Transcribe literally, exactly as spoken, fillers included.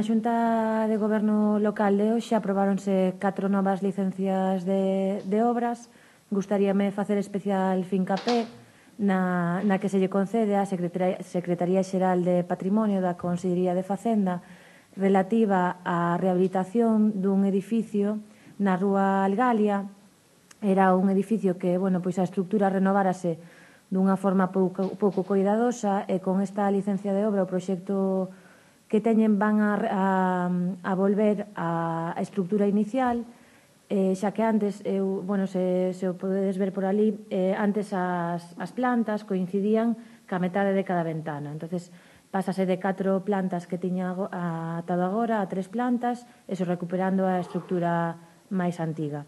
Na Xunta de Goberno local de hoxe aprobáronse catro novas licencias de, de obras. Gustaríame facer especial fincapé na, na que se lle concede á Secretaría, Secretaría Xeral de Patrimonio da Consellería de Facenda relativa á rehabilitación dun edificio na Rúa Algalia. Era un edificio que, bueno, pois a estructura renovárase dunha forma pouco, pouco coidadosa e con esta licencia de obra o proxecto que teñen van a, a, a volver á estructura inicial, eh, xa que antes, eu, bueno, se, se o podedes ver por ali, eh, antes as, as plantas coincidían ca metade de cada ventana. Entonces, pásase de catro plantas que tiña atado agora a tres plantas, eso recuperando a estructura máis antiga.